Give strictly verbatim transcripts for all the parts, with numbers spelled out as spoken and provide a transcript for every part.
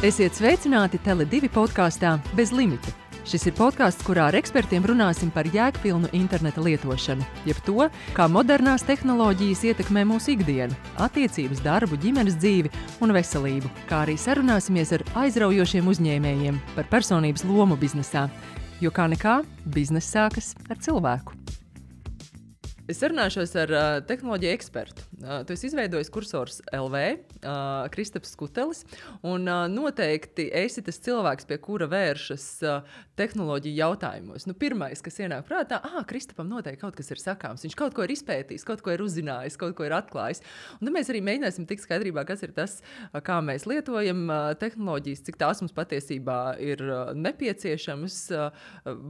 Esiet sveicināti Tele divi podkāstā Bez limita. Šis ir podkāsts, kurā ar ekspertiem runāsim par jēgpilnu interneta lietošanu, jeb to, kā modernās tehnoloģijas ietekmē mūsu ikdienu, attiecības, darbu, ģimenes dzīvi un veselību, kā arī sarunāsimies ar aizraujošiem uzņēmējiem par personības lomu biznesā, jo kā nekā bizness sākas ar cilvēku. Es sarunāšos ar uh, tehnoloģiju ekspertu. Uh, tu esi izveidojis Kursors L V, uh, Kristaps Skutelis, un uh, noteikti esi tas cilvēks, pie kura vēršas uh, tehnoloģiju jautājumos. Nu, pirmais, kas ienāk prātā, ah, Kristapam noteikti kaut kas ir sakāms. Viņš kaut ko ir izpētījis, kaut ko ir uzzinājis, kaut ko ir atklājis. Un tad mēs arī mēģināsim tikt skaidrībā, kas ir tas, uh, kā mēs lietojam uh, tehnoloģijas, cik tās mums patiesībā ir uh, nepieciešamas. Uh,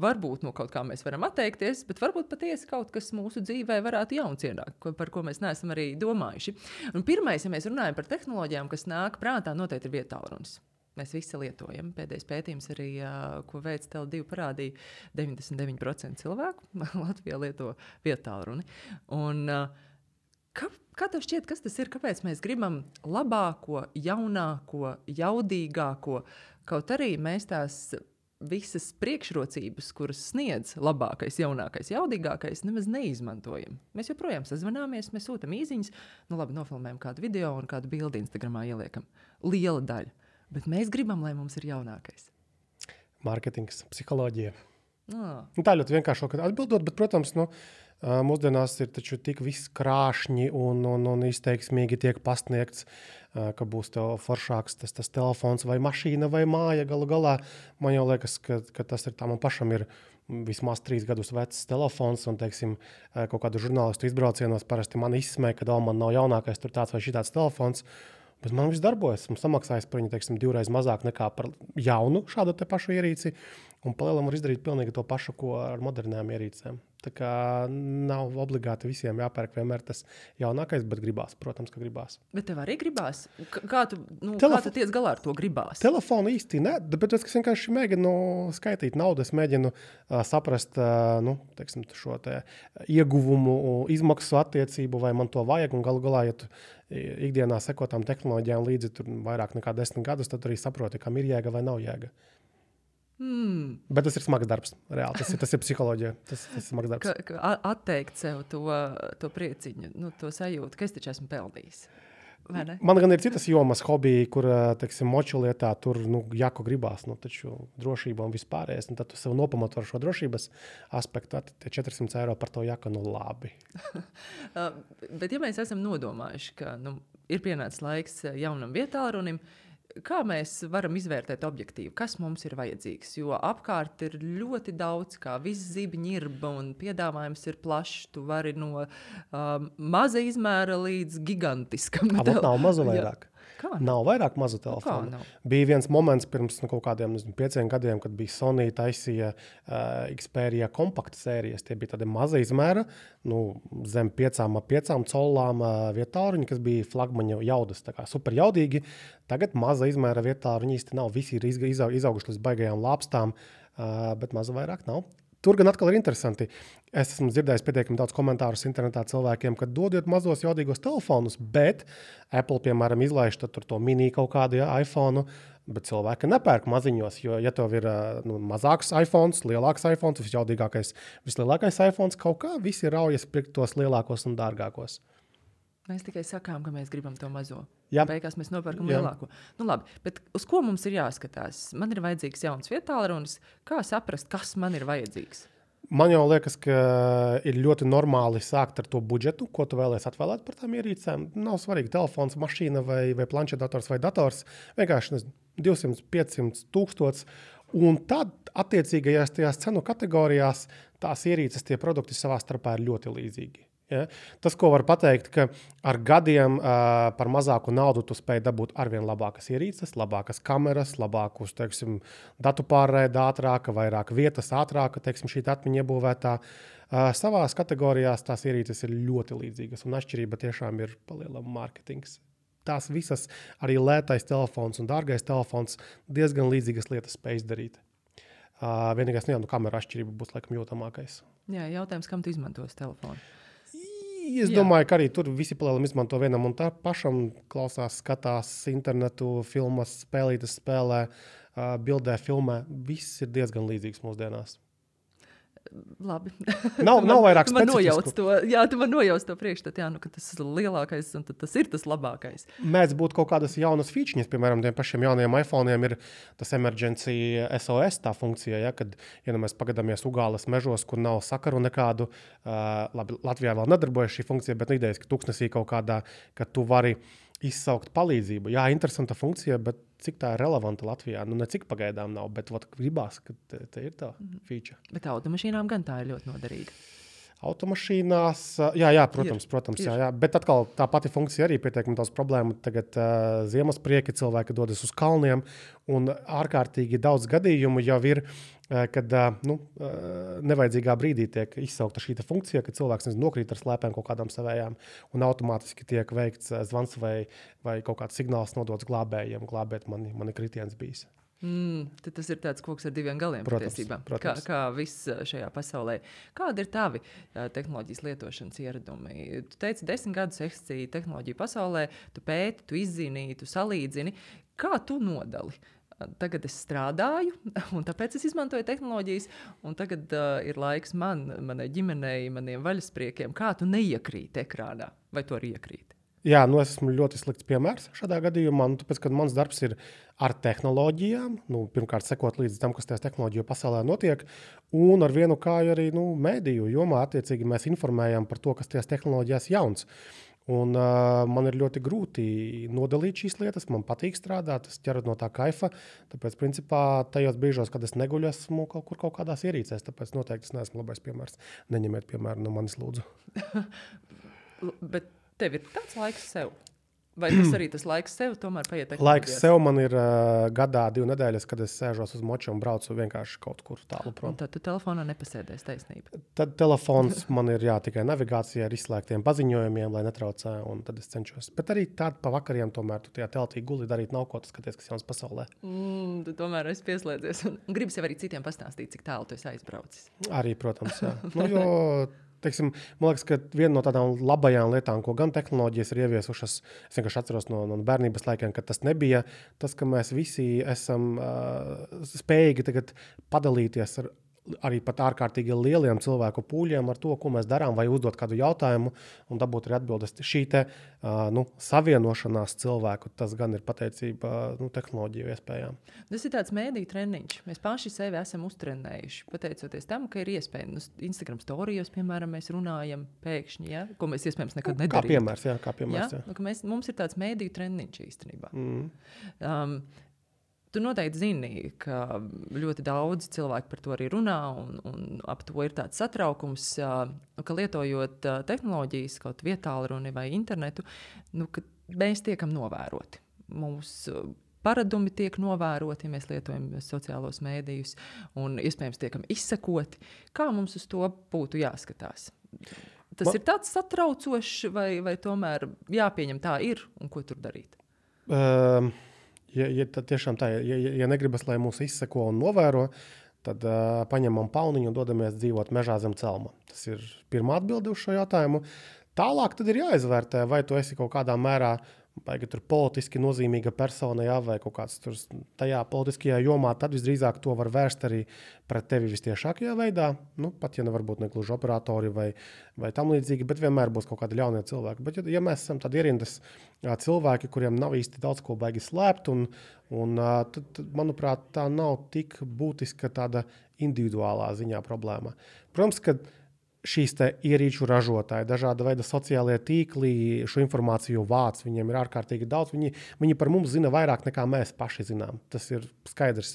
varbūt no kaut kā mēs varam atteikties, bet varbūt patiesi kaut kas mūsu dzīvē vai varētu jauns ienākt, par ko mēs neesam arī domājuši. Un pirmais, ja mēs runājam par tehnoloģijām, kas nāk prātā, noteikti ir vietālrunis. Mēs visi lietojam. Pēdējais pētījums arī, ko veids Tele divi parādīja, deviņdesmit deviņi procenti cilvēku Latvijā lieto vietālruni. Un kā, kā tev šķiet, kas tas ir? Kāpēc mēs gribam labāko, jaunāko, jaudīgāko? Kaut arī mēs tās visas priekšrocības, kuras sniedz labākais, jaunākais, jaudīgākais, nemaz neizmantojam. Mēs joprojām sazvanāmies, mēs sūtam īziņas, nu labi, nofilmējam kādu video un kādu bildi Instagramā ieliekam. Liela daļa. Bet mēs gribam, lai mums ir jaunākais. Mārketings, psiholoģija. Ah. Nu, tā ļoti vienkārši atbildot, bet, protams, nu, mūsdienās ir taču tik viss krāšņi un, un, un izteiksmīgi tiek pasniegts, ka būs tev foršāks tas, tas telefons vai mašīna vai māja galu galā. Man jau liekas, ka, ka tas ir tā, man pašam ir vismaz trīs gadus vecs telefons un, teiksim, kaut kādu žurnālistu izbraucienos parasti man izsmē, ka vēl man nav jaunākais tur tāds vai šitāds telefons. Bet man viss darbojas. Man samaksājas par viņu, teiksim, divreiz mazāk nekā par jaunu šādu te pašu ierīci. Un palielam var izdarīt pilnīgi to pašu, ko ar modernām ierīcēm. Tā kā nav obligāti visiem jāpērk vienmēr tas jaunākais, bet gribās, protams, ka gribās. Bet tev arī gribās? Kā tu, nu, Telefo... kā tu tiec galā ar to gribās? Telefonu īsti ne, bet es vienkārši mēģinu skaitīt naudu, es mēģinu uh, saprast uh, nu, teiksim, šo te ieguvumu, izmaksu attiecību, vai man to vajag, un galu galā, ja tu ikdienā sekotām tehnoloģijām līdzi tur vairāk nekā desmit gadus, tad arī saproti, kam ir jēga vai nav jēga. Hmm. Bet tas ir smags darbs, reāli. Tas ir, tas ir psiholoģija. Tas, tas ir smags darbs. Ka, ka atteikt sev to, to prieciņu, nu, to sajūtu, ka es taču esmu pelnījis. Vai ne? Man gan ir citas jomas, hobiji, kur, teiksim, moču lietā tur, nu, jako gribās, nu, taču drošība un vispārējais. Un tad tu sev nopamato ar šo drošības aspektu, tad tie četri simti eiro par to jaka, nu, labi. Bet ja mēs esam nodomājuši, ka, nu, ir pienācis laiks jaunam vietālrunim, kā mēs varam izvērtēt objektīvi, kas mums ir vajadzīgs? Jo apkārt ir ļoti daudz, kā viss zibiņirba un piedāvājums ir plašs. Tu vari no um, maza izmēra līdz gigantiskam. Avot nav mazu vairāk. Kā? Nav vairāk mazu telefonu. Nav? Bija viens moments pirms nu, kaut kādiem nezinu, pieciem gadiem, kad bija Sony taisīja uh, Xperia kompakta sērijas. Tie bija tādi maza izmēra, nu, zem piecām, piecām colām uh, vietālruņi, kas bija flagmaņa jaudas, tā kā super jaudīgi. Tagad maza izmēra vietālruņi īsti nav. Visi ir izauguši līdz baigajām lāpstām, uh, bet maza vairāk nav. Tur gan atkal ir interesanti. Es esmu dzirdējis pietiekami daudz komentārus internetā cilvēkiem, ka dodiet mazos jaudīgos telefonus, bet Apple, piemēram, izlaiž tur to mini kaut kādu ja, iPhone, bet cilvēki nepērk maziņos, jo ja tev ir nu, mazāks iPhones, lielāks iPhones, visjaudīgākais, vislielākais iPhones, kaut kā visi raujas pirkt tos lielākos un dārgākos. Mēs tikai sakām, ka mēs gribam to mazo. Jā. Beigās mēs nopērkam Jā. lielāko. Nu labi, bet uz ko mums ir jāskatās? Man ir vajadzīgs jauns vietālrunis. Kā saprast, kas man ir vajadzīgs? Man jau liekas, ka ir ļoti normāli sākt ar to budžetu, ko tu vēlies atvēlēt par tām ierīcēm. Nav svarīgi telefons, mašīna vai, vai planšetdators vai dators. Vienkārši nezinu, divsimt, piecsimt tūkstots. Un tad attiecīgajās tajās cenu kategorijās tās ierīces, tie produkti savā starpā ir ļoti līdzīgi. Ja? Tas, ko var pateikt, ka ar gadiem uh, par mazāku naudu tu spēj dabūt arvien labākas ierīces, labākas kameras, labākus, teiksim, datu pārraide ātrāka, vairāk vietas ātrāka, teiksim, šī atmiņa iebūvētā. Uh, savās kategorijās tās ierīces ir ļoti līdzīgas, un atšķirība tiešām ir palielam mārketings. Tās visas, arī lētais telefons un dārgais telefons, diezgan līdzīgas lietas spēj izdarīt. Uh, vienīgais, nu jā, nu kameru atšķirība būs laikam jūtamākais. Jā, jautājums, kam tu izmantos telefonu? Es Jā. domāju, ka arī tur visi palielam izmanto vienam un tā pašam, klausās, skatās internetu, filmas, spēlītas spēlē, bildē, filmē. Viss ir diezgan līdzīgs mūsdienās. Labi. Nav, nav vairāk specifisku. To, jā, tu man nojauc to priekšstat, jā, nu, ka tas ir lielākais un tas ir tas labākais. Mēdz būt kaut kādas jaunas features, piemēram, tiem pašiem jaunajiem iPhone'iem ir tas emergency S O S tā funkcija, ja, kad, ja nu mēs pagadamies Ugāles mežos, kur nav sakaru nekādu, uh, labi, Latvijā vēl nedarbojas šī funkcija, bet nu idejas, ka tuksnesī kaut kādā, ka tu vari izsaukt palīdzību. Jā, interesanta funkcija, bet cik tā ir relevanta Latvijā? Nu, ne cik pagaidām nav, bet vat, gribās, ka te, te ir tā feature. Bet automašīnām gan tā ir ļoti noderīga. Automašīnās, jā, jā, protams, ir, protams, ir. jā, jā. Bet atkal tā pati funkcija arī pietiekami daudz problēmu. Tagad uh, ziemasprieki cilvēki dodas uz kalniem, un ārkārtīgi daudz gadījumu jau ir, uh, kad uh, nu, uh, nevajadzīgā brīdī tiek izsaukta šī funkcija, kad cilvēks nezinu, nokrīt ar slēpēm kaut kādām savējām, un automātiski tiek veikts uh, zvans vai, vai kaut kāds signāls nodots glābējiem, glābēt mani, mani kritiens bijis. Mm, tad tas ir tāds koks ar diviem galiem, protams, patiesībā. Protams. Kā, kā viss šajā pasaulē. Kādi ir tavi tehnoloģijas lietošanas ieradumi? Tu teici, desmit gadus eksistēji tehnoloģiju pasaulē, tu pēti, tu izzini, tu salīdzini. Kā tu nodali? Tagad es strādāju, un tāpēc es izmantoju tehnoloģijas, un tagad uh, ir laiks man, manai ģimenei, maniem vaļaspriekiem. Kā tu neiekrīti ekrānā? Vai tu arī iekrīti? Jā, nu es esmu ļoti slikts piemērs šādā gadījumā, nu, tāpēc, ka mans darbs ir ar tehnoloģijām, nu, pirmkārt sekot līdz tam, kas tajās tehnoloģiju pasaulē notiek, un ar vienu kāju arī nu, mēdīju jomā attiecīgi mēs informējam par to, kas tajās tehnoloģijās jauns. Un uh, man ir ļoti grūti nodalīt šīs lietas, man patīk strādāt, es ķeru no tā kaifa, tāpēc principā tajos brīžos, kad es neguļu, esmu kaut kur kaut kādās ierīcēs, tāpēc noteikti es neesmu labais piemērs. Neņemiet piemēru no manis, lūdzu. Bet tev ir tāds laiks sev? Vai tas arī tas laiks sev tomēr paiet tehnoloģijās? Laiks sev man ir uh, gadā divu nedēļas, kad es sēžos uz moču un braucu vienkārši kaut kur tālu prom. Un tad tu telefonā nepasēdēs, taisnība? Tad telefons man ir jā, tikai navigācija ar izslēgtiem paziņojumiem, lai netraucē, un tad es cenšos. Bet arī tādu pa vakariem tomēr tu tajā teltī guli darīt nav ko, tu skaties, kas jauns pasaulē. Mm, tu tomēr esi pieslēdzies un gribas jau arī citiem pastāstīt, cik tālu tu esi aizbraucis. Arī, protams, jā. Nu, jo... Teiksim, man liekas, ka viena no tādām labajām lietām, ko gan tehnoloģijas ir ieviesušas, es vienkārši atceros no, no bērnības laikiem, ka tas nebija tas, ka mēs visi esam uh, spējīgi tagad padalīties ar arī pat ārkārtīgi lieliem cilvēku pūļiem ar to, ko mēs darām, vai uzdot kādu jautājumu un dabūt arī atbildes. Šī te uh, nu, savienošanās cilvēku, tas gan ir pateicība nu, tehnoloģiju iespējām. Tas ir tāds mēdīju treniņš. Mēs paši sevi esam uztrenējuši, pateicoties tam, ka ir iespēja. Nu, Instagram storijos, piemēram, mēs runājam pēkšņi, ja? Ko mēs iespējams nekad nedarījām. Kā piemērs, jā. Kā piemērs, ja? jā. Nu, mēs, mums ir tāds mēdīju treniņš īstenībā. Mm. Um, Tu noteikti zini, ka ļoti daudz cilvēku par to arī runā, un, un ap to ir tāds satraukums, ka lietojot tehnoloģijas, kaut vietālruni vai internetu, nu, ka mēs tiekam novēroti. Mūsu paradumi tiek novēroti, ja mēs lietojam sociālos mēdījus, un iespējams tiekam izsekoti. Kā mums uz to būtu jāskatās? Tas Man... ir tāds satraucošs, vai, vai tomēr jāpieņem tā ir, un ko tur darīt? Um... Ja, ja tiešām tā, ja, ja negribas, lai mūs izseko un novēro, tad uh, paņemam pauniņu un dodamies dzīvot mežā zem celma. Tas ir pirmā atbilde uz šo jautājumu. Tālāk tad ir jāizvērtē, vai tu esi kaut kādā mērā baigi tur politiski nozīmīga persona, jā, vai kaut kāds tur tajā politiskajā jomā, tad visdrīzāk to var vērst arī pret tevi vistiešākajā veidā. Nu, pat ja nevar būt negluži operatori vai, vai tam līdzīgi, bet vienmēr būs kaut kādi ļaunie cilvēki. Bet ja, ja mēs esam tādi ierindas cilvēki, kuriem nav īsti daudz ko baigi slēpt, un, un tad, tad, manuprāt, tā nav tik būtiska tāda individuālā ziņā problēma. Protams, ka šīs te ierīču ražotāji, dažāda veida sociālie tīkli, šo informāciju vāc, viņiem ir ārkārtīgi daudz. Viņi, viņi par mums zina vairāk nekā mēs paši zinām. Tas ir skaidrs.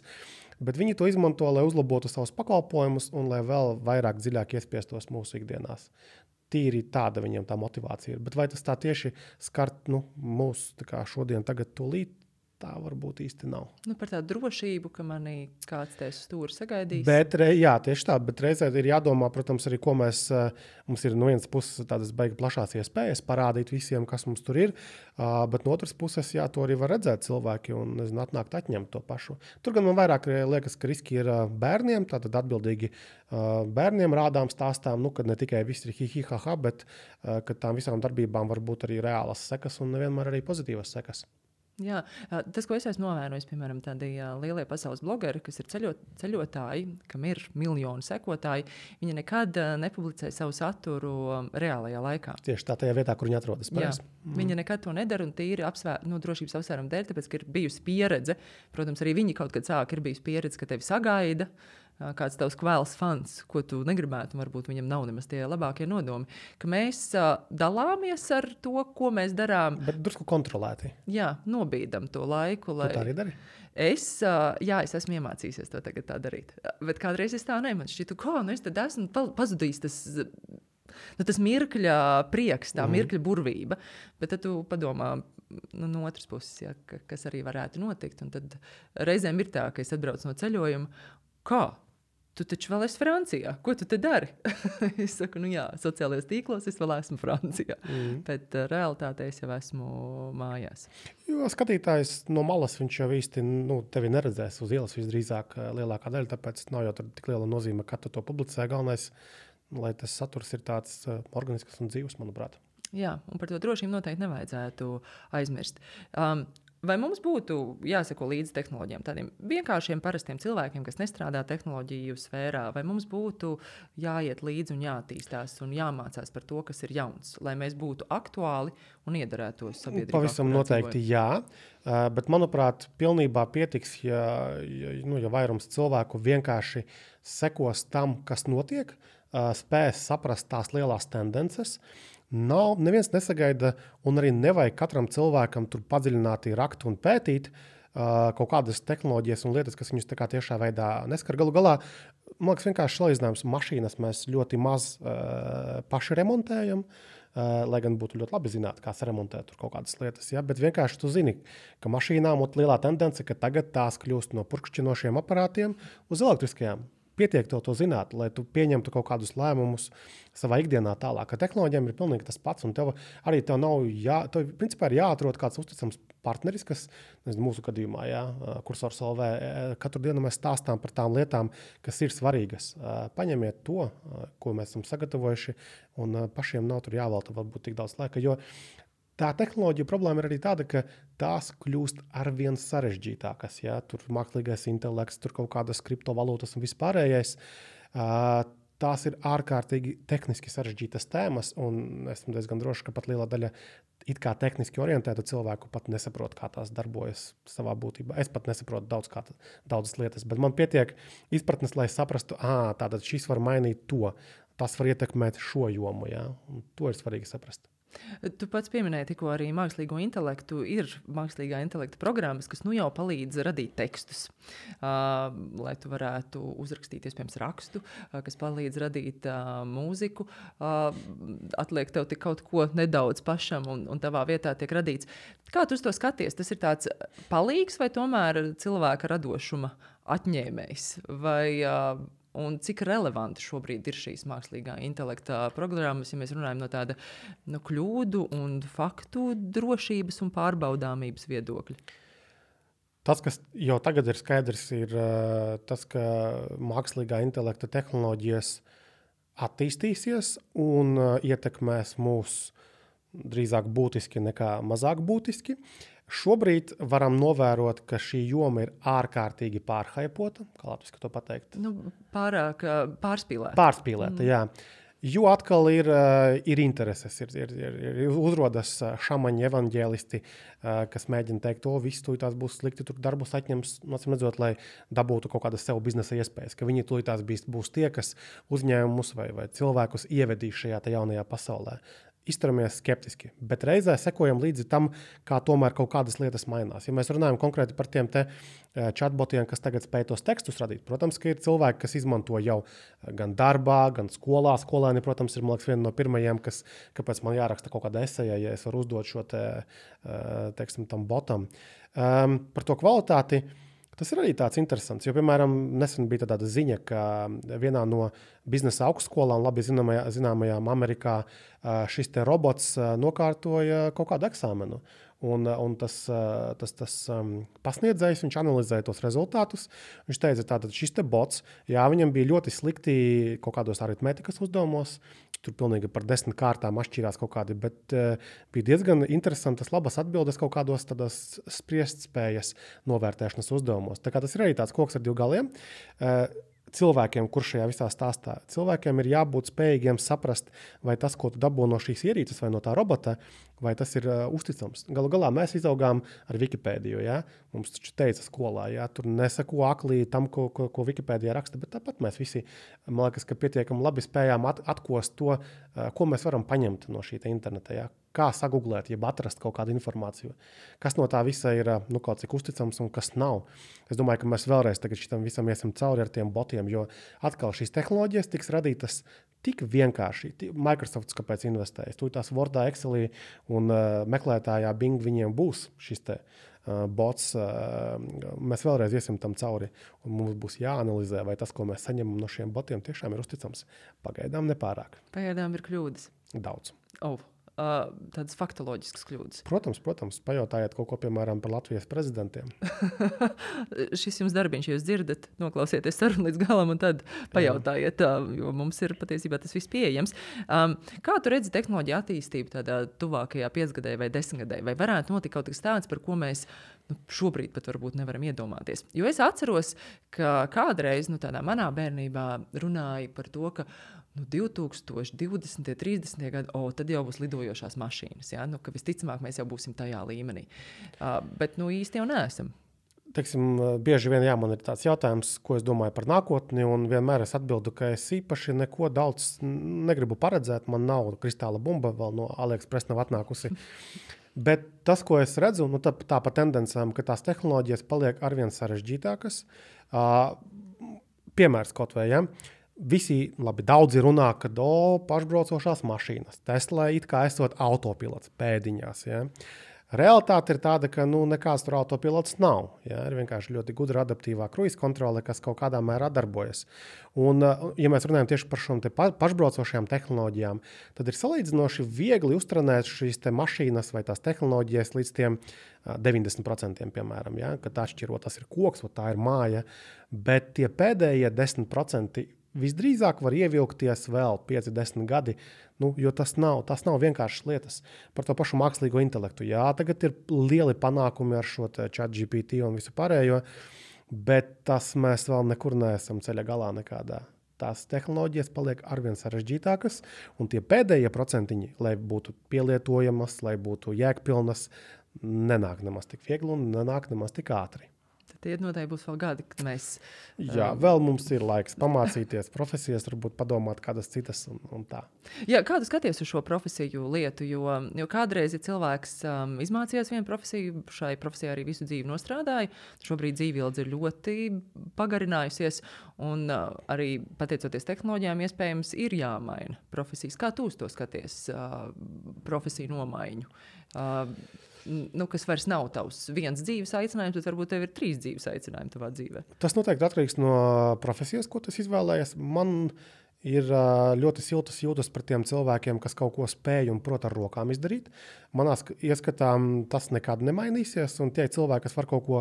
Bet viņi to izmanto, lai uzlabotu savus pakalpojumus un lai vēl vairāk dziļāk iespiestos mūsu ikdienās. Tīri tāda viņiem tā motivācija ir. Bet vai tas tā tieši skart nu, mūs tā kā šodien, tagad tūlīt? tā varbūt īsti nav. Nu, par tādu drošību, ka manī kāds te stūri sagaidīs. Bet, jā, tieši tā, bet reizē ir jādomā, protams, arī, ko mēs, mums ir no vienas puses tādas baigi plašās iespējas parādīt visiem, kas mums tur ir, bet no otras puses, jā, to arī var redzēt cilvēki un, nezinu, atnākt atņemt to pašu. Tur gan man vairāk liekas, ka riski ir bērniem, tātad atbildīgi bērniem rādām stāstām, nu, kad ne tikai viss ir hi, hi, ha, ha, bet kad tām visām darbībām var būt arī reālas sekas un nevienmēr arī pozitīvas sekas. Jā, tas, ko es esmu novērojis, piemēram, tādi lielie pasaules blogeri, kas ir ceļot, ceļotāji, kam ir miljoni sekotāji, viņi nekad nepublicē savu saturu reālajā laikā. Tieši tā, tajā vietā, kur viņi atrodas. Jā, mm. Viņi nekad to nedara un tīri apsvēr, nu, drošības apsvērumu dēļ, tāpēc, ka ir bijusi pieredze. Protams, arī viņi kaut kad sāk, ir bijusi pieredze, ka tevi sagaida kāds tavs kvēls fans, ko tu negribētu, varbūt viņam nav nemaz tie labākie nodomi, ka mēs uh, dalāmies ar to, ko mēs darām. Bet drusku kontrolēti. Jā, nobīdam to laiku. Lai... Tu tā arī dari? Es, uh, jā, es esmu iemācījusies to tagad tā darīt. Bet kādreiz es tā ne, man šķitu, ko, nu es tad esmu pazudījis tas... Nu, tas mirkļa prieks, tā mm. mirkļa burvība, bet tad tu padomā nu, no otras puses, ja, ka, kas arī varētu notikt. Un tad reizēm ir tā, ka es atbraucu no ceļojuma, kā? Tu taču vēl esi Francijā. Ko tu te dari? Es saku, nu jā, sociālajos tīklos es vēl esmu Francijā. Mm. Bet uh, realitātē es jau esmu mājās. Jo skatītājs no malas viņš jau īsti nu, tevi neredzēs uz ielas visdrīzāk lielākā daļa, tāpēc nav jau tik liela nozīme, ka tu to publicē. Galvenais, lai tas saturs ir tāds uh, organisks un dzīvs, manuprāt. Jā, un par to drošību noteikti nevajadzētu aizmirst. Um, Vai mums būtu jāseko līdzi tehnoloģijām, tādiem vienkāršiem, parastiem cilvēkiem, kas nestrādā tehnoloģiju sfērā, vai mums būtu jāiet līdzi un jātīstās un jāmācās par to, kas ir jauns, lai mēs būtu aktuāli un iedarētos sabiedrībā? Pavisam noteikti jā, bet manuprāt, pilnībā pietiks, ja, ja, nu, ja vairums cilvēku vienkārši sekos tam, kas notiek, spēs saprast tās lielās tendences. Nav, neviens nesagaida un arī nevajag katram cilvēkam tur padziļināti rakt un pētīt uh, kaut kādas tehnoloģijas un lietas, kas viņus tā kā tiešā veidā neskar. Galu galā, man liekas, vienkārši salīdzinājums mašīnas mēs ļoti maz uh, paši remontējam, uh, lai gan būtu ļoti labi zināt, kā saremontēt tur kaut kādas lietas. Ja? Bet vienkārši tu zini, ka mašīnām ir lielā tendence, ka tagad tās kļūst no purkšķinošiem aparātiem uz elektriskajām. Pietiek tev to zināt, lai tu pieņemtu kaut kādus lēmumus savā ikdienā tālāk. Ar tehnoloģijām ir pilnīgi tas pats, un tev arī tev nav jā, tev principā ir jāatrod kāds uzticams partneris, kas, nezinu, mūsu gadījumā, jā, Kursors L V, katru dienu mēs stāstām par tām lietām, kas ir svarīgas. Paņemiet to, ko mēs esam sagatavojuši, un pašiem nav tur jāvelta varbūt tik daudz laika, jo tā tehnoloģija problēma ir arī tāda, ka tās kļūst arvien sarežģītākas. Ja? Tur mākslīgais intelekts, tur kaut kādas kriptovalūtas un vispārējais. Tās ir ārkārtīgi tehniski sarežģītas tēmas, un esmu diezgan droši, ka pat liela daļa it kā tehniski orientētu cilvēku pat nesaprot, kā tās darbojas savā būtībā. Es pat nesaprotu daudz kā, daudzas lietas, bet man pietiek izpratnes, lai saprastu, ā, tātad šis var mainīt to, tas var ietekmēt šo jomu, ja? Un to ir svarīgi saprast. Tu pats pieminēji tikko arī mākslīgo intelektu. Ir mākslīgā intelekta programmas, kas nu jau palīdz radīt tekstus, uh, lai tu varētu uzrakstīt, iespējams, rakstu, uh, kas palīdz radīt uh, mūziku. Uh, atliek tev tik kaut ko nedaudz pašam un, un tavā vietā tiek radīts. Kā tu uz to skaties? Tas ir tāds palīgs vai tomēr cilvēka radošuma atņēmējs? Vai... Uh, Un cik relevanti šobrīd ir šīs mākslīgā intelekta programmas, ja mēs runājam no tāda no kļūdu un faktu drošības un pārbaudāmības viedokļa? Tas, kas jau tagad ir skaidrs, ir tas, ka mākslīgā intelekta tehnoloģijas attīstīsies un ietekmēs mūs drīzāk būtiski nekā mazāk būtiski. Šobrīd varam novērot, ka šī joma ir ārkārtīgi pārhaipota, kā latviski to pateikt? Nu, pārāk pārspīlēta. Pārspīlēta, mm. jā. Jo atkal ir, ir intereses, ir, ir, ir, ir uzrodas šamaņi evaņģēlisti, kas mēģina teikt, o, viss tūlītās būs slikti, tur darbus atņems, nocim redzot, lai dabūtu kaut kādas sev biznesa iespējas, ka viņi tūlītās būs tie, kas uzņēmumus vai, vai cilvēkus ievedīs šajā jaunajā pasaulē. izturamies skeptiski, bet reizē sekojam līdzi tam, kā tomēr kaut kādas lietas mainās. Ja mēs runājam konkrēti par tiem te chatbotiem, kas tagad spēj tos tekstus radīt, protams, ka ir cilvēki, kas izmanto jau gan darbā, gan skolā. Skolēni, protams, ir, man liekas, viena no pirmajiem, kas, kāpēc man jāraksta kaut kāda eseja, ja es varu uzdot šo te, teiksim, tam botam. Um, par to kvalitāti. Tas ir arī tāds interesants, jo, piemēram, nesen bija tāda ziņa, ka vienā no biznesa augstskolām, labi zināmajā, zināmajām Amerikā, šis te robots nokārtoja kaut kādu eksāmenu. Un, un tas, tas, tas um, pasniedzējs, viņš analizēja tos rezultātus. Viņš teica, tātad šis te bots, jā, viņam bija ļoti slikti kaut kādos aritmētikas uzdevumos, tur pilnīgi par desmit kārtām atšķirās kaut kādi, bet uh, bija diezgan interesantas, labas atbildes kaut kādos tādas spriestspējas novērtēšanas uzdevumos. Tā kā tas ir arī tāds koks ar divu galiem. Uh, Cilvēkiem, kurš šajā visā stāstā, cilvēkiem ir jābūt spējīgiem saprast, vai tas, ko tu dabū no šīs ierīces vai no tā robota, vai tas ir uh, uzticams. Galu galā mēs izaugām ar Wikipēdiju. Ja? Mums taču teica skolā, ja? Tur nesako aklī tam, ko, ko, ko Wikipēdijā raksta, bet tāpat mēs visi, man liekas, ka pietiekami labi spējām at, atkost to, uh, ko mēs varam paņemt no šī interneta. Ja? Kā saguglēt, jeb atrast kaut kādu informāciju. Kas no tā visa ir nu, kaut cik uzticams un kas nav. Es domāju, ka mēs vēlreiz tagad šitam visam iesim cauri ar tiem botiem, jo atkal šīs tehnoloģijas tiks radītas tik vienkārši. Microsoft kāpēc investējas? Tur tās Wordā, Excelī un uh, meklētājā Bing viņiem būs šis te uh, bots. Uh, mēs vēlreiz iesim tam cauri un mums būs jāanalizē, vai tas, ko mēs saņemam no šiem botiem, tiešām ir uzticams. Pagaidām nepārāk. Pagaidām ir kļūdas. Daudz. Oh. Uh, tādas faktoloģiskas kļūdas. Protams, protams, pajautājiet kaut ko, piemēram, par Latvijas prezidentiem. Šis jums darbiņš, jūs dzirdat, noklausieties sarunu līdz galam un tad pajautājiet, uh, jo mums ir patiesībā tas viss pieejams. Um, kā tu redzi tehnoloģiju attīstību tādā tuvākajā piecgadē vai desmitgadē? Vai varētu notikt kaut kas tāds, par ko mēs nu, šobrīd pat varbūt nevaram iedomāties? Jo es atceros, ka kādreiz nu, tādā manā bērnībā runāja par to, ka nu, divi tūkstoši divdesmitie, trīsdesmitie gadi, o, tad jau būs lidojošās mašīnas. Ja? Nu, ka visticamāk mēs jau būsim tajā līmenī. Uh, bet nu, īsti jau neesam. Teiksim, bieži vien jā, man ir tāds jautājums, ko es domāju par nākotni, un vienmēr es atbildu, ka es īpaši neko daudz negribu paredzēt. Man nav kristāla bumba, vēl no AliExpress nav atnākusi. Bet tas, ko es redzu, nu, tā, tā pa tendencēm, ka tās tehnoloģijas paliek arvien sarežģītākas. Uh, piemērs kaut vai, ja? Visi, labi, daudzi runā, ka o, pašbraucošās mašīnas, Tesla it kā esot autopilots pēdiņās. Ja? Realitāte ir tāda, ka nu, nekāds tur autopilots nav. Ja? Ir vienkārši ļoti gudra adaptīvā kruīza kontrole, kas kaut kādā mērā darbojas. Un, ja mēs runājam tieši par šīm pašbraucošajām tehnoloģijām, tad ir salīdzinoši viegli uztrenēt šīs te mašīnas vai tās tehnoloģijas līdz tiem deviņdesmit procentiem, piemēram, ja? Kad atšķirot, tas ir koks, tā ir māja, bet tie pēdējie desmit procenti visdrīzāk var ievilkties vēl pieci desmit gadi, nu, jo tas nav, tas nav vienkāršas lietas. Par to pašu mākslīgo intelektu. Jā, tagad ir lieli panākumi ar šo ChatGPT un visu pārējo, bet tas mēs vēl nekur neesam ceļa galā nekādā. Tās tehnoloģijas paliek arvien sarežģītākas, un tie pēdējie procentiņi, lai būtu pielietojamas, lai būtu jēgpilnas, nenāk nemaz tik viegli un nenāk nemaz tik ātri. Tie noteikti būs vēl gadi, kad mēs... Jā, vēl mums ir laiks pamācīties profesijas, varbūt padomāt kādas citas un, un tā. Jā, kādu skaties uz šo profesiju lietu, jo, jo kādreiz ja cilvēks um, izmācījās vienu profesiju, šai profesijā arī visu dzīvi nostrādāja, šobrīd dzīvildze ir ļoti pagarinājusies un uh, arī pateicoties tehnoloģijām iespējams ir jāmaina profesijas. Kā tu uz to skaties, uh, profesiju nomaiņu? Uh, Nu, kas vairs nav tavs viens dzīves aicinājums, bet varbūt tev ir trīs dzīves aicinājumi tavā dzīvē. Tas noteikti atkarīgs no profesijas, ko tu izvēlējies. Man ir ļoti siltas jūtas par tiem cilvēkiem, kas kaut ko spēj un prot ar rokām izdarīt. Manā ieskatā tas nekad nemainīsies, un tie cilvēki, kas var kaut ko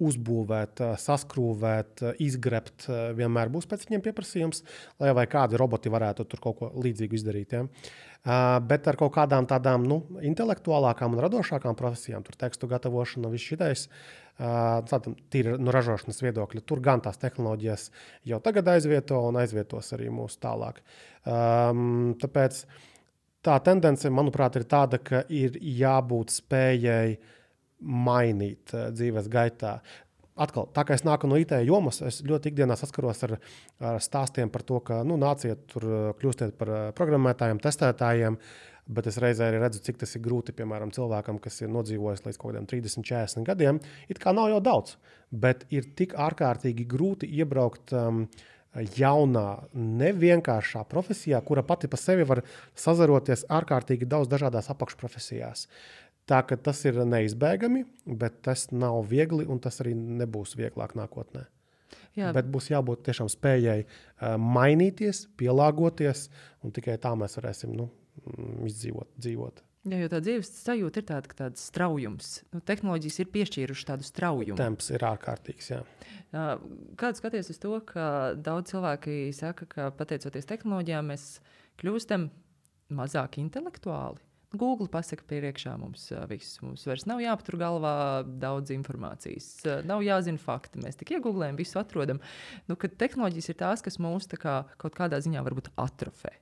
uzbūvēt, saskrūvēt, izgrebt, vienmēr būs pēc viņiem pieprasījums, lai vai kādi roboti varētu tur kaut ko līdzīgu izdarīt. Ja? Uh, bet ar kaut kādām tādām nu, intelektuālākām un radošākām profesijām, tur tekstu gatavošana, viss šitais, uh, tādam tīri no ražošanas viedokļa, tur gan tās tehnoloģijas jau tagad aizvieto un aizvietos arī mūs tālāk. Um, tāpēc tā tendence, manuprāt, ir tāda, ka ir jābūt spējai mainīt uh, dzīves gaitā. Atkal, tā kā es nāku no I T jomas, es ļoti ikdienā saskaros ar, ar stāstiem par to, ka nu, nāciet tur, kļūstiet par programmētājiem, testētājiem. bet es reizē arī redzu, cik tas ir grūti, piemēram, cilvēkam, kas ir nodzīvojis līdz kaut kādiem trīsdesmit, četrdesmit gadiem. It kā nav jau daudz, bet ir tik ārkārtīgi grūti iebraukt um, jaunā, nevienkāršā profesijā, kura pati pa sevi var sazaroties ārkārtīgi daudz dažādās apakšprofesijās. Tā, ka tas ir neizbēgami, bet tas nav viegli un tas arī nebūs vieglāk nākotnē. Jā. Bet būs jābūt tiešām spējai uh, mainīties, pielāgoties, un tikai tā mēs varēsim nu, izdzīvot, dzīvot. Jā, jo tā dzīves sajūta ir tāda, ka tāds straujums. Nu, tehnoloģijas ir piešķīruši tādu straujumu. Temps ir ārkārtīgs, jā. Kāds skaties uz to, ka daudz cilvēki saka, ka pateicoties tehnoloģijām mēs kļūstam mazāk intelektuāli? Google pasaka priekšā mums viss. Mums vairs nav jāpatur galvā daudz informācijas. Nav jāzina fakti. Mēs tik iegooglējam, visu atrodam. Nu, kad tehnoloģijas ir tās, kas mūs tā kā kaut kādā ziņā varbūt atrofē.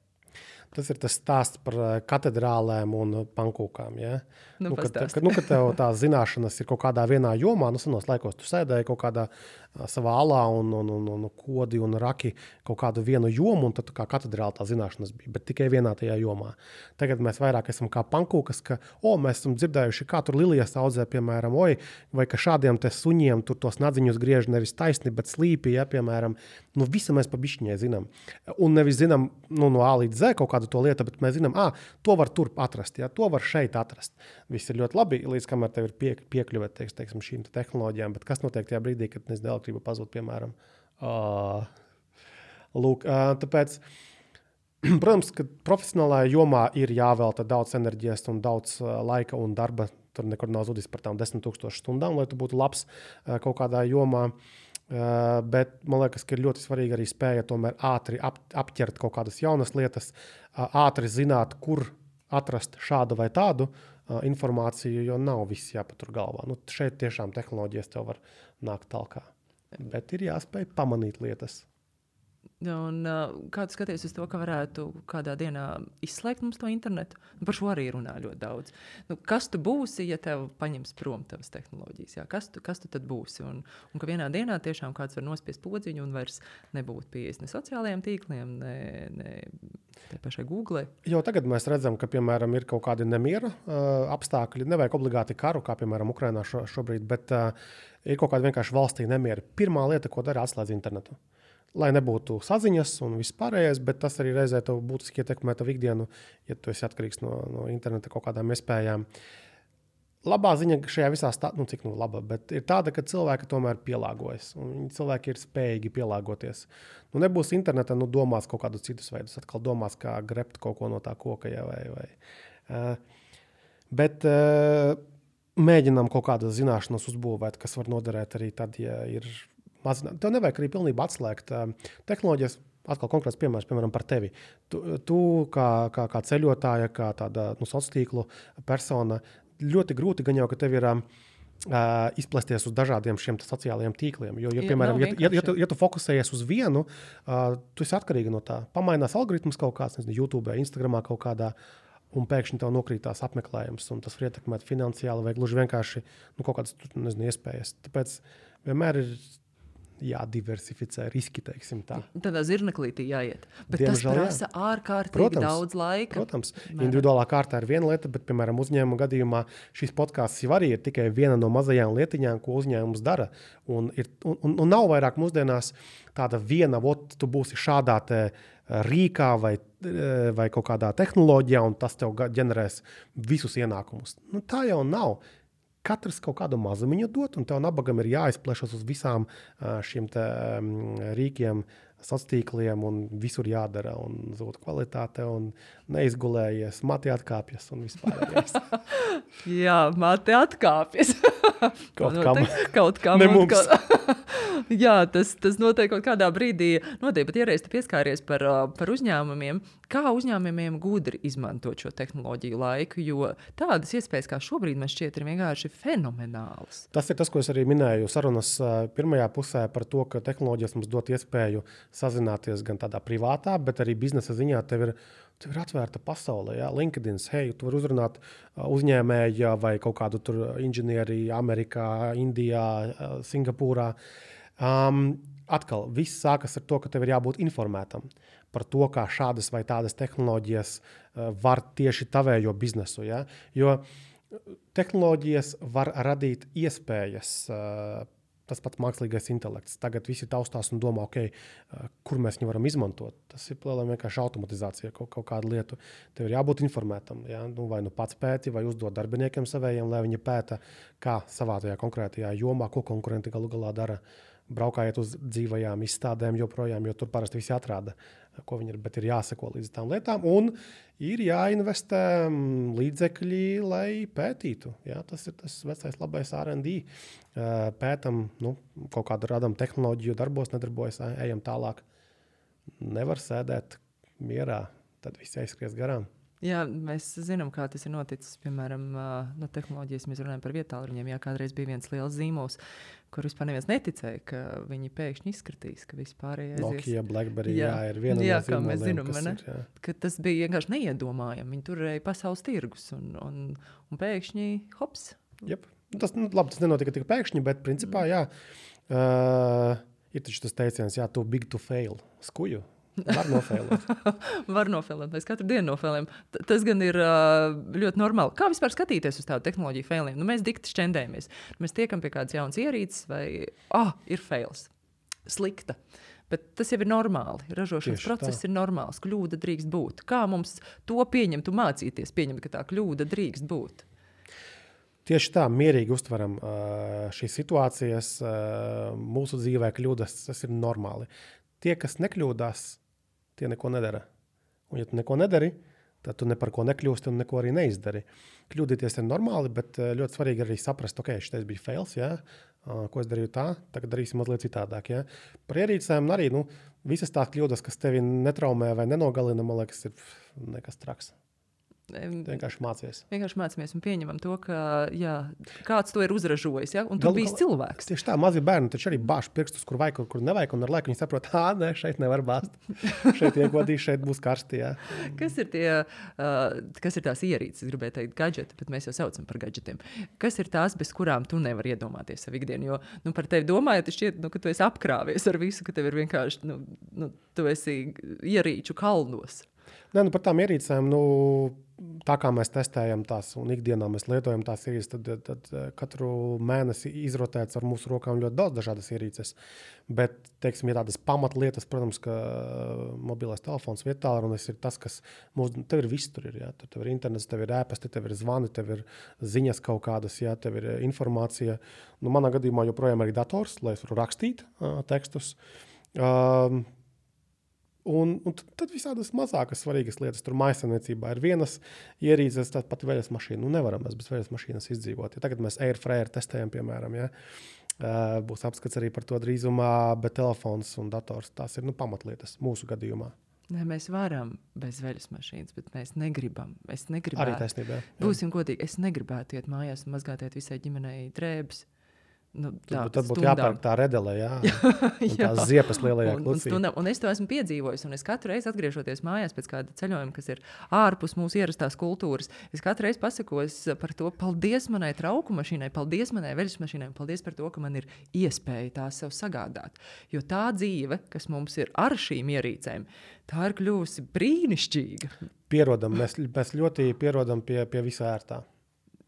Tas ir tas stāsts par katedrālēm un pankūkām. Ja? Nu, nu, kad, kad, nu, kad tev tās zināšanas ir kaut kādā vienā jomā, nu senos laikos tu sēdēji kaut kādā uh, savā alā un, un, un, un kodi un raki kaut kādu vienu jomu, un tad tu kā katedrāli tā zināšanas bija, bet tikai vienā tajā jomā. Tagad mēs vairāk esam kā pankūkas, ka, o, mēs esam dzirdējuši, kā tur lilijas audzē, piemēram, oj, vai ka šādiem te suņiem tur tos nadziņus griež nevis taisni, bet slīpi, ja, piemēram. Nu, visu mēs pa bišķiņai zinām. Un nevis zinām, nu, no A līdz Z kaut kādu to lietu, bet mēs zinām, ā, to var tur atrast, ja, to var šeit atrast. Viss ir ļoti labi, līdz kamēr tev ir pie, piekļuve, teiks, teiksim, šīm te tehnoloģijām, bet kas notiek tajā brīdī, kad nezinu, elektrība pazūd, piemēram. Uh, lūk, uh, tāpēc, protams, ka profesionālajā jomā ir jāvelta daudz enerģijas un daudz uh, laika un darba, tur nekur nav zudis par tām desmit tūkstošu stundām, lai tu būtu labs uh, kaut kādā jomā. Uh, bet man liekas, ka ir ļoti svarīgi arī spēja tomēr ātri ap, apķert kaut kādas jaunas lietas, uh, ātri zināt, kur atrast šādu vai tādu uh, informāciju, jo nav viss jāpatur galvā. Nu, šeit tiešām tehnoloģijas tev var nākt talkā. Bet ir jāspēj pamanīt lietas. Un, uh, kā tu skaties uz to, ka varētu kādā dienā izslēgt mums to internetu? Nu, par šo arī runā ļoti daudz. Nu, kas tu būsi, ja tev paņems prom tavas tehnoloģijas? Jā? Kas, tu, kas tu tad būsi? Un, un ka vienā dienā tiešām kāds var nospiest podziņu un vairs nebūt pieejas ne sociālajiem tīkliem, ne, ne tai pašai Google. Jo tagad mēs redzam, ka, piemēram, ir kaut kādi nemiera uh, apstākļi. Nevajag obligāti karu, kā, piemēram, Ukrainā šo, šobrīd, bet uh, ir kaut kāda vienkārši valstī nemiera. Pirmā lieta, ko dara, atslēdz internetu. Lai nebūtu saziņas un viss pārējais, bet tas arī reizē tev būtiski ietekmē tavu ikdienu, ja tu esi atkarīgs no, no interneta kaut kādām iespējām. Labā ziņa šajā visā stāstā, nu cik nu laba, bet ir tāda, ka cilvēki tomēr pielāgojas. Un cilvēki ir spējīgi pielāgoties. Nu nebūs interneta, nu domās kaut kādus citus veidus, atkal domās, kā grebt kaut ko no tā koka. Ja, vai, vai. Uh, bet uh, mēģinām kaut kādas zināšanas uzbūvēt, kas var noderēt arī tad, ja ir mazināt. Tev nevajag arī pilnībā atslēgt uh, tehnoloģijas. Atkal konkrēts piemērs, piemēram, par tevi. Tu, tu kā, kā, kā ceļotāja, kā tāda nu, sociālo persona, ļoti grūti gan jau, ka tev ir uh, izplesties uz dažādiem šiem sociālajiem tīkliem. Jo, ja, piemēram, ja, ja, ja, tu, ja tu fokusējies uz vienu, uh, tu esi atkarīgi no tā. Pamainās algoritmus kaut kāds, nezinu, YouTube, Instagramā kaut kādā, un pēkšņi tev nokrītās apmeklējums, un tas var ietekmēt finansiāli vai gluži vienkārši nu, kaut kādas, nezinu, iespējas. Tāpēc vienmēr ir jādiversificē riski, teiksim tā. Tādā zirneklītī jāiet. Bet Diemžēl, tas prasa jā. ārkārtīgi Protams, daudz laika. Protams, individuālā kārtā ir viena lieta, bet, piemēram, uzņēmuma gadījumā šis podcasts jau arī ir tikai viena no mazajām lietiņām, ko uzņēmums dara. Un, ir, un, un nav vairāk mūsdienās tāda viena, ot, tu būsi šādā te rīkā vai, vai kaut kādā tehnoloģijā, un tas tev ģenerēs visus ienākumus. Nu, tā jau nav. Katrs kaut kādu mazumiņu dot, un tev nabagam ir jāizplešas uz visām šiem te rīkiem, sociāliem, un visur jādara, un zūd kvalitāte, un neizgulējies, mati atkāpjas, un vispārējais. Jā, mati atkāpjas. Kaut kam. Kaut kam. Ne mums. Jā, tas, tas noteikti kaut kādā brīdī notiek, bet iereiz tu pieskāries par, par uzņēmumiem. Kā uzņēmumiem gudri izmantot šo tehnoloģiju laiku, jo tādas iespējas, kā šobrīd man šķiet, ir vienkārši fenomenālas. Tas ir tas, ko es arī minēju sarunas pirmajā pusē par to, ka tehnoloģijas mums dot iespēju sazināties gan tādā privātā, bet arī biznesa ziņā tev ir, tev ir atvērta pasaule. Ja? LinkedIn, hei, tu vari uzrunāt uzņēmēju vai kaut kādu tur inženieri Amerikā, Indijā, Singapūrā. Um, atkal viss sākas ar to, ka tev ir jābūt informētam par to, kā šādas vai tādas tehnoloģijas uh, var tieši tavējo biznesu. Ja? Jo tehnoloģijas var radīt iespējas, uh, tas pats mākslīgais intelekts. Tagad visi taustās un domā, okay, uh, kur mēs viņu varam izmantot. Tas ir plēlēm vienkārši automatizācija, kaut, kaut kādu lietu. Tev ir jābūt informētam. Ja? Nu, vai nu pats pēti, vai uzdot darbiniekiem savējiem, lai viņi pēta, kā savā tajā konkrētajā jomā, ko konkurenti galu galā dara. Braukājiet uz dzīvajām izstādēm joprojām, jo tur parasti visi atrāda, ko viņi ir, bet ir jāseko līdz tām lietām. Un ir jāinvestē līdzekļi, lai pētītu. Ja? Tas ir tas vecais labais R and D. Pētam, nu, kaut kādu radam tehnoloģiju, darbos, nedarbojas, ejam tālāk. Nevar sēdēt mierā, tad viss aizskries garām. Jā, mēs zinām, kā tas ir noticis. Piemēram, no tehnoloģijas mēs runājam par vietāluņiem. Jā, kādreiz bija viens liels zīmols, kur vispār neviens neticēja, ka viņi pēkšņi izskatīs, ka vispār aizies. Nokia, BlackBerry, jā, jā ir viena jā, no zīmoliem, mēs zinām, kas ne? ir, jā. Ka tas bija vienkārši neiedomājami. Viņi turēja pasaules tirgus un, un, un pēkšņi hops. Jep. Tas, nu, labi, tas nenotika tik pēkšņi, bet principā, jā, uh, ir taču tas teiciens, jā, too big to fail. Skuju. Var nofēlēt. Var nofēlēt. Mēs katru dienu nofēlējam. T- tas gan ir uh, ļoti normāli. Kā vispār skatīties uz tādu tehnoloģiju failiem? Nu, mēs dikti šķendējamies. Mēs tiekam pie kādas jaunas ierīces vai, ah, ir fails. Slikta. Bet tas jau ir normāli. Ražošanas Tieši process tā. ir normāls. Kļūda drīkst būt. Kā mums to pieņemt un mācīties pieņemt, ka tā kļūda drīkst būt? Tieši tā, mierīgi uztveram uh, šīs situācijas. Uh, mūsu dzīvē kļūdas, tas ir normāli. Tie, kas nekļūdās, tie neko nedara. Un ja tu neko nedari, tad tu ne par ko nekļūsti un neko arī neizdari. Kļūdīties ir normāli, bet ļoti svarīgi arī saprast, ok, šitais bija fails, jā, ko es darīju tā, tagad darīsim mazliet citādāk. Jā. Par ierīcēm arī, nu, visas tās kļūdas, kas tevi netraumē vai nenogalina, man liekas, ir nekas traks. Vienkārši mācies. Vienkārši mācāmies un pieņemam to, ka jā, kāds to ir uzražojis, ja? Un tur Galu bijis galā- cilvēks. Tieši tā, mazi bērni taču arī bāž pirkstus, kur vajag, kur, kur nevajag, un ar laiku viņi saprot, ā, nē, šeit nevar bāzt. Šeit iekodīs, šeit būs karsti, jā. Kas ir, tie, uh, kas ir tās ierīces, es gribēju teikt gadžeti, bet mēs jau saucam par gadžetiem. Kas ir tās, bez kurām tu nevari iedomāties savu ikdienu? Jo nu, par tevi domājot, šķiet, nu, ka tu esi apkrāvies ar visu, ka tev ir vienkārši, nu, nu, tu esi ierīču kalnos. Nē, nu par tām ierīcēm, nu, tā kā mēs testējam tās un ikdienā mēs lietojam tās ierīces, tad, tad, tad katru mēnesi izrotēts ar mūsu rokām ļoti daudz dažādas ierīces. Bet, teiksim, ir tādas pamatlietas, protams, ka mobilais telefons vietālunis ir tas, kas mūs, tev ir viss tur ir, jā. Tev ir internets, tev ir ēpasti, tev ir zvani, tev ir ziņas kaut kādas, jā, tev ir informācija. Nu, manā gadījumā joprojām arī dators, lai es varu rakstīt uh, tekstus. Um, Un, un tad visādas mazākas svarīgas lietas. Tur mājsaimniecībā ir vienas ierīces, tā pati veļas mašīna. Nu, nevaram mēs bez veļas mašīnas izdzīvot. Ja tagad mēs Airfryer testējam, piemēram, ja? uh, būs apskats arī par to drīzumā, bet telefons un dators, tās ir nu, pamatlietas mūsu gadījumā. Nē, mēs varam bez veļas mašīnas, bet mēs negribam. Es negribētu. Arī taisnībā. Jā. Būsim godīgi, es negribētu iet mājās un mazgātiet visai ģimenei drēbes. Nu, tā, Tad būtu stundām. jāpērk tā redele, jā. Un tās ziepes lielajā un, un, klucī. stundām, un es to esmu piedzīvojis. Un es katru reizi atgriežoties mājās pēc kāda ceļojuma, kas ir ārpus mūsu ierastās kultūras, es katru reizi pasakos par to, paldies manai trauku mašīnai, paldies manai veļas mašīnai, paldies par to, ka man ir iespēja tās sev sagādāt. Jo tā dzīve, kas mums ir ar šīm ierīcēm, tā ir kļuvusi brīnišķīga. Pierodam, mēs, mēs ļoti pierodam pie, pie visā ērtā.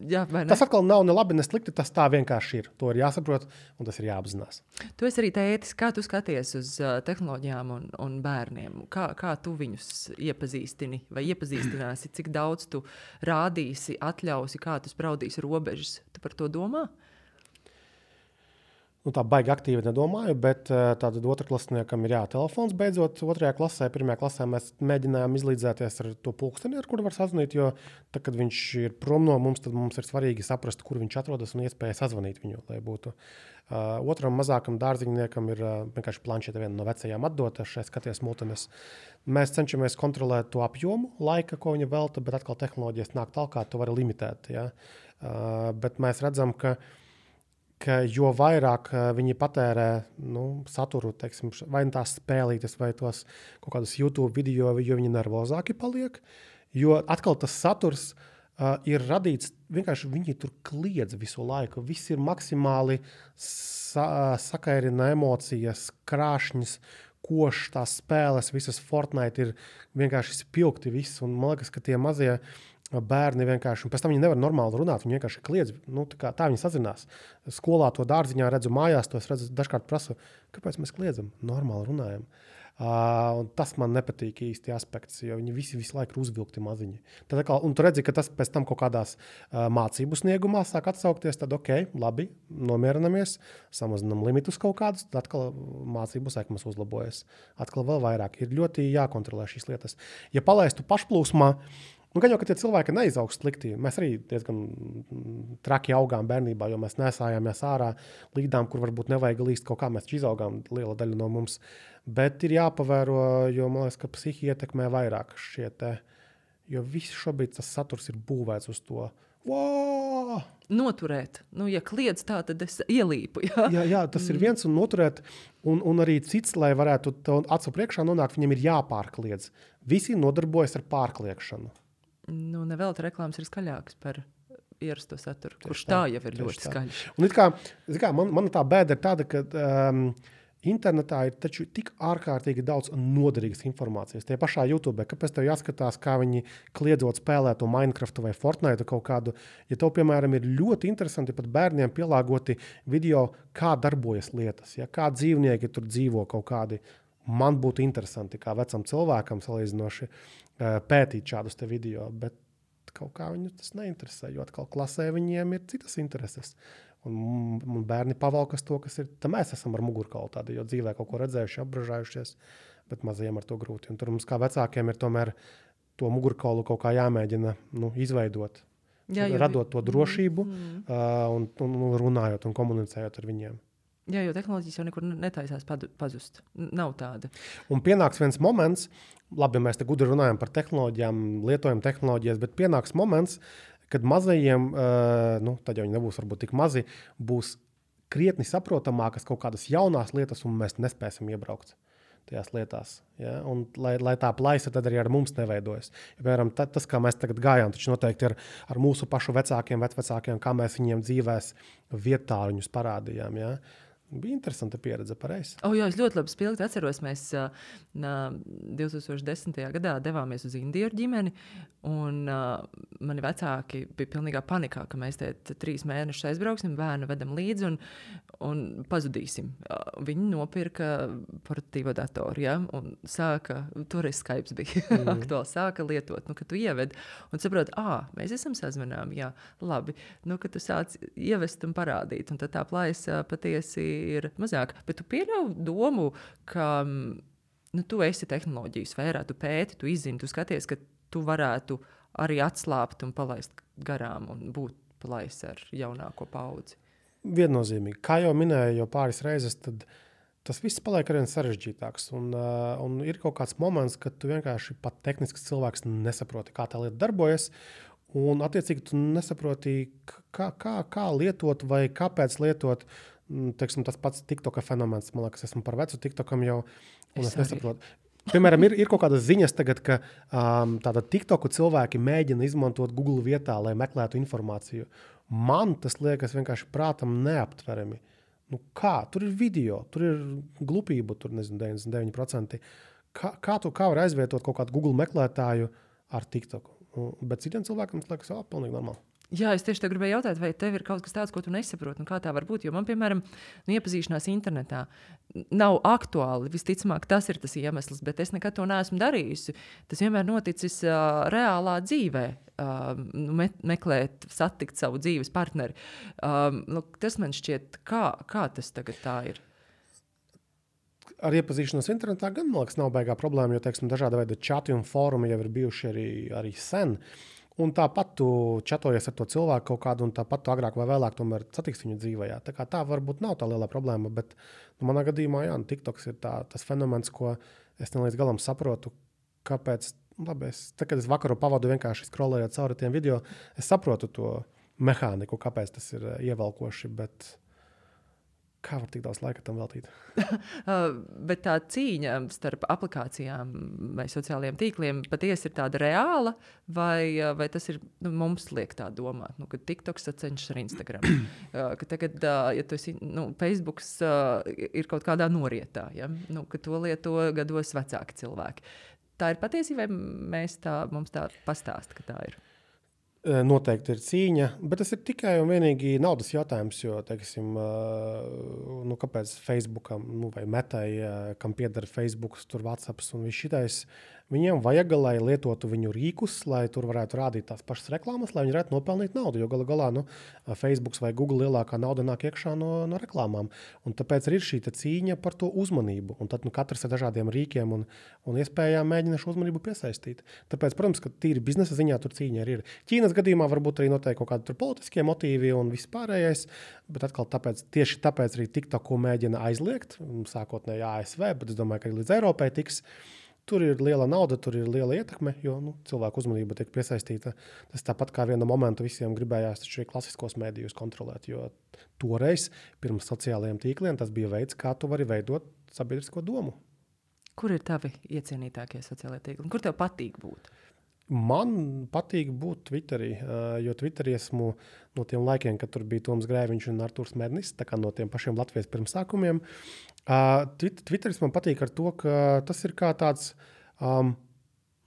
Jā, tas atkal nav ne labi, ne slikti, tas tā vienkārši ir. To ir jāsaprot un tas ir jāapzinās. Tu esi arī tētis, kā tu skaties uz uh, tehnoloģijām un, un bērniem? Kā, kā tu viņus iepazīstini vai iepazīstināsi? Cik daudz tu rādīsi, atļausi, kā tu spraudīsi robežas? Tu par to domā? Nu, tā baigi aktīvi nedomāju, bet tātad otrklasniekam ir jā, telefons beidzot. Otrajā klasē, pirmajā klasē mēs mēģinājām izlīdzēties ar to pulksteni, ar kuru var sazvanīt, jo tad, kad viņš ir prom no mums, tad mums ir svarīgi saprast, kur viņš atrodas un iespēja sazvanīt viņu, lai būtu. Uh, otram mazākam dārziņniekam ir uh, vienkārši planšete viena no vecajām atdota, šeit skaties multenes. Mēs cenšamies kontrolēt to apjomu laika, ko viņa velta, bet atkal tehnoloģijas nāk tālāk, to var limitēt. Ja? Uh, bet mēs redzam, ka ka jo vairāk viņi patērē nu, saturu, teiksim, vai tās spēlītes, vai tos kaut kādus YouTube video, jo viņi nervozāki paliek, jo atkal tas saturs uh, ir radīts, vienkārši viņi tur kliedz visu laiku. Viss ir maksimāli sa- sakairina emocijas, krāšņas, košs, tās spēles, visas Fortnite ir vienkārši spilgti viss. Un man liekas, ka tie mazie bērni vienkārši, un pēc tam viņi nevar normāli runāt, viņi vienkārši kliedz, nu, tā, kā, tā viņi sazinās. Skolā to dārziņā redzu, mājās to es redzu, dažkārt prasu, kāpēc mēs kliedzam? Normāli runājam. Uh, un tas man nepatīk īsti aspekts, jo viņi visi visu laiku ir uzvilkti maziņi. Tad, kā, un tu redzi, ka tas pēc tam kaut kādās uh, mācību sniegumā sāk atsaukties, tad ok, labi, nomierinamies, samazinam limitus kaut kādus, tad atkal mācību sekmes uzlabojas. Atkal vēl vairāk. Ir ļoti jākontrolē šīs lietas. Ja palaistu pašplūsmā, nu, gan jau, ka tie cilvēki neizaugs slikti. Mēs arī diezgan traki augām bērnībā, jo mēs nesājāmies ārā līdām, kur varbūt nevajag līst kaut kā. Mēs izaugām liela daļa no mums. Bet ir jāpavēro, jo man liekas, ka psihi ietekmē vairāk šie te. Jo viss šobrīd tas saturs ir būvēts uz to. Wow! Noturēt. Nu, ja kliedz tā, tad es ielīpu. Jā, jā, jā tas ir viens un noturēt. Un, un arī cits, lai varētu acu priekšā nonākt, viņam ir jāpārkliedz. Visi nodarbojas ar pārkliekšanu. Nu, nevēl tā reklāmas ir skaļāks par ierasto saturu, kurš tā, tā jau ir ļoti skaļš. Un it kā, kā man, man tā bēda ir tāda, ka um, internetā ir taču tik ārkārtīgi daudz noderīgas informācijas. Tie pašā YouTube, kāpēc tev jāskatās, kā viņi kliedzot spēlē to Minecraftu vai Fortnite kaut kādu. Ja tev, piemēram, ir ļoti interesanti pat bērniem pielāgoti video, kā darbojas lietas, ja, kā dzīvnieki tur dzīvo kaut kādi. Man būtu interesanti, kā vecam cilvēkam salīdzinoši pētīt šādus te video, bet kaut kā viņu tas neinteresē, jo atkal klasē viņiem ir citas intereses. Un, un bērni pavalkas to, kas ir, tā mēs esam ar mugurkaulu tādi, jo dzīvē kaut ko redzējuši, apbražājušies, bet mazajiem ar to grūti. Un tur mums kā vecākiem ir tomēr to mugurkaulu kaut kā jāmēģina nu, izveidot, Jā, radot to drošību mm. uh, un, un runājot un komunicējot ar viņiem. Jā, jo tehnoloģijas jau nekur netaisās pazust. Nav tāda. Un pienāks viens moments, labi, mēs te gudri runājam par tehnoloģijām, lietojam tehnoloģijas, bet pienāks moments, kad mazajiem, uh, nu, tad jau viņi nebūs varbūt tik mazi, būs krietni saprotamākas kaut kādas jaunās lietas, un mēs nespēsim iebraukt tajās lietās. Ja? Un, lai, lai tā plaisa tad arī ar mums neveidojas. Ja, piemēram, ta, tas, kā mēs tagad gājām, taču noteikti ar, ar mūsu pašu vecākiem, vecvecākiem, kā mēs viņiem dzīvēs vietāluņus parādījām. Ja? Bija interesanta pieredze, pareizi. O, jā, es ļoti labi spilgti atceros, mēs uh, divi tūkstoši desmitajā gadā devāmies uz Indiju ar ģimeni, un uh, mani vecāki bija pilnīgā panikā, ka mēs te trīs mēnešus aizbrauksim, bērnu vedam līdzi un, un pazudīsim. Uh, viņi nopirka portatīvo datoru, ja, un sāka, toreiz Skype bija mm. aktuāli, sāka lietot, nu, ka tu ieved, un saprot, ā, mēs esam sazvanām, jā, labi, nu, ka tu sāc ievest un parādīt, un tad tā plaisa patiesi ir mazāk, bet tu pieļauj domu, ka nu, tu esi tehnoloģiju sfērā, tu pēti, tu izzini, tu skaties, ka tu varētu arī atslāpt un palaist garām un būt palaist ar jaunāko paudzi. Viennozīmīgi. Kā jau minēju jau pāris reizes, tad tas viss paliek arvien sarežģītāks. Un, uh, un ir kaut kāds moments, kad tu vienkārši pat tehnisks cilvēks nesaproti, kā tā lieta darbojas. Un attiecīgi tu nesaproti, kā, kā, kā lietot vai kāpēc lietot. Teiksim, tas pats TikToka fenomens. Man liekas, esmu par vecu TikTokam jau, un es, es nesaprotu. Piemēram, ir, ir kaut kādas ziņas tagad, ka um, tāda TikToku cilvēki mēģina izmantot Google vietā, lai meklētu informāciju. Man tas liekas vienkārši prātam neaptverami. Nu kā? Tur ir video, tur ir glupība, tur nezinu, deviņdesmit deviņi procenti. Kā, kā tu kā var aizvietot kaut kādu Google meklētāju ar TikToku? Bet citiem cilvēkiem tas liekas jau pilnīgi normāli. Jā, es tieši te gribēju jautāt, vai tev ir kaut kas tāds, ko tu nesaproti, un kā tā var būt? Jo man, piemēram, nu, iepazīšanās internetā nav aktuāli. Visticamāk, tas ir tas iemesls, bet es nekad to neesmu darījusi. Tas vienmēr noticis uh, reālā dzīvē, uh, me meklēt, satikt savu dzīves partneri. Uh, nu, tas man šķiet, kā, kā tas tagad tā ir? Ar iepazīšanos internetā gan, man liekas, nav baigā problēma, jo, teiksim, dažāda veida čati un fórumi jau ir bijuši arī, arī sen. Un tāpat tu čatojies ar to cilvēku kaut kādu, un tāpat tu agrāk vai vēlāk tomēr satiks viņu dzīvajā. Tā kā tā varbūt nav tā liela problēma, bet nu, manā gadījumā, jā, TikToks ir tā, tas fenomens, ko es ne līdz galam saprotu, kāpēc, labi, es, tā, kad es vakaru pavadu vienkārši scrollējot cauri tiem video, es saprotu to mehāniku, kāpēc tas ir ievelkoši, bet Kā var tik daudz laika tam veltīt? uh, bet tā cīņa starp aplikācijām vai sociālajiem tīkliem patiesi ir tāda reāla, vai, vai tas ir, nu, mums liek tā domāt, nu, ka TikTok sacenšas ar Instagram. uh, ka tagad, uh, ja tu esi, nu, Facebooks uh, ir kaut kādā norietā, ja? Nu, ka to lieto gados vecāki cilvēki. Tā ir patiesība, vai mēs tā, mums tā pastāsta, ka tā ir? Noteikti ir cīņa, bet tas ir tikai un vienīgi naudas jautājums, jo, teiksim, nu, kāpēc Facebookam, nu, vai Metai, kam pieder Facebooks, tur WhatsApps un viss šitais, viņiem vajag, lai lietotu viņu rīkus, lai tur varētu rādīt tās pašas reklāmas, lai viņi varētu nopelnīt naudu, jo gala galā, nu, Facebooks vai Google lielākā nauda nāk iekšā no, no reklāmām. Un tāpēc ir šī cīņa par to uzmanību. Un tad, nu, katrs ar dažādiem rīkiem un, un iespējām mēģina šo uzmanību piesaistīt. Tāpēc, protams, ka tīri biznesa ziņā tur cīņa ir. Ķīnas gadījumā varbūt arī noteikti kaut kādi tur politiskie motīvi un viss pārējais, bet atkal tāpēc, tieši tāpēc arī TikToku mēģina aizliegt, sākotnēji A S V, bet es domāju, ka arī līdz Eiropai tiks. Tur ir liela nauda, tur ir liela ietekme, jo, nu, cilvēku uzmanība tiek piesaistīta. Tas tāpat kā viena momentu visiem gribējās taču arī klasiskos mēdījus kontrolēt, jo toreiz pirms sociālajiem tīkliem tas bija veids, kā tu vari veidot sabiedrisko domu. Kur ir tavi iecienītākie sociālajie tīkli? Kur tev patīk būt? Man patīk būt Twitterī, jo Twitterī esmu no tiem laikiem, kad tur bija Toms Grēviņš un Artūrs Mernis, tā kā no tiem pašiem Latvijas pirmsākumiem. Twitteris man patīk ar to, ka tas ir kā tāds um,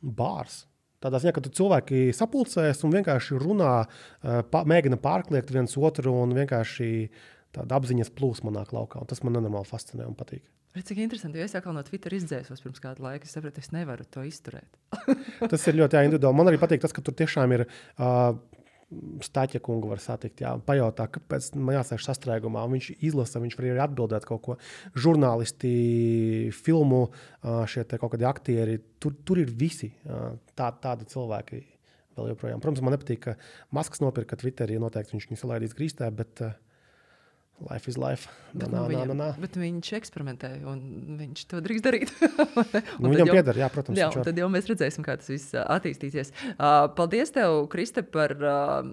bārs. Tādā ziņā, ka tu cilvēki sapulcēs un vienkārši runā, pa, mēģina pārkliegt viens otru un vienkārši tāda apziņas plūsma nāk laukā. Un tas man nenormāli fascinē un patīk. Redz, cik interesanti, jo es atkal no Twitter izdzēsos pirms kādu laiku. Es sapratu, es nevaru to izturēt. Tas ir ļoti jā, individuāli. Man arī patīk tas, ka tur tiešām ir uh, Staķa kungu var satikt, jā, pajautā, kāpēc man jāsēž sastrēgumā. Viņš izlasa, viņš var arī atbildēt kaut ko. Žurnālisti, filmu, uh, šie te kaut kādi aktieri, tur, tur ir visi uh, tā, tādi cilvēki vēl joprojām. Protams, man nepatīk, ka Masks nopirka Twitterī, noteikti viņš viņu salaidīs grīstē, bet... Uh, Life is life. Bet, nā, nu, nā, viņam, nā, nā. bet viņš eksperimentē, un viņš to drīkst darīt. Nu, viņam jau, pieder, jā, protams. Jā, tad jau mēs redzēsim, kā tas viss attīstīsies. Uh, paldies tev, Kriste, par uh,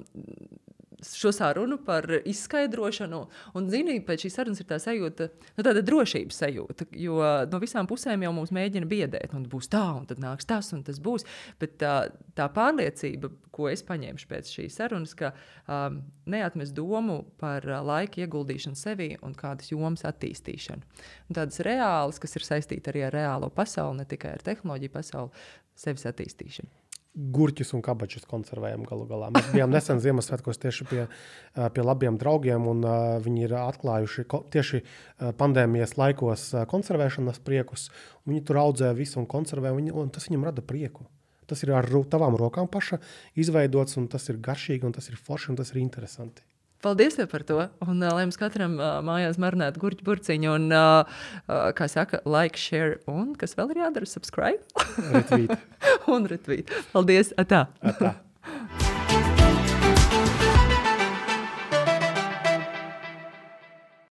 šo sarunu, par izskaidrošanu. Un, zini, pēc šīs sarunas ir tā sajūta, nu, tāda drošības sajūta, jo no visām pusēm jau mums mēģina biedēt. Un būs tā, un tad nāks tas, un tas būs. Bet tā, tā pārliecība, ko es paņēmuši pēc šīs sarunas, ka um, neatmest domu par uh, laika ieguldīšanu sevī un kādas jomas attīstīšanu. Un tādas reālas, kas ir saistīta arī ar reālo pasauli, ne tikai ar tehnoloģiju pasauli, sevis attīstīšanu. Gurķus un kabačus konservējam galu galā. Mēs bijām nesen Ziemassvētkos tieši pie, pie labiem draugiem, un uh, viņi ir atklājuši ko, tieši uh, pandēmijas laikos uh, konservēšanas priekus. Viņi tur audzē visu un konservē, un, un tas viņam rada prieku. Tas ir ar tavām rokām paša izveidots, un tas ir garšīgi, un tas ir forši, un tas ir interesanti. Paldies tev par to, un uh, lai mums katram uh, mājās marinētu gurķu burciņu, un, uh, uh, kā saka, like, share, un kas vēl ir jādara, subscribe? Retweet. Un retweet. Paldies, atā. Atā.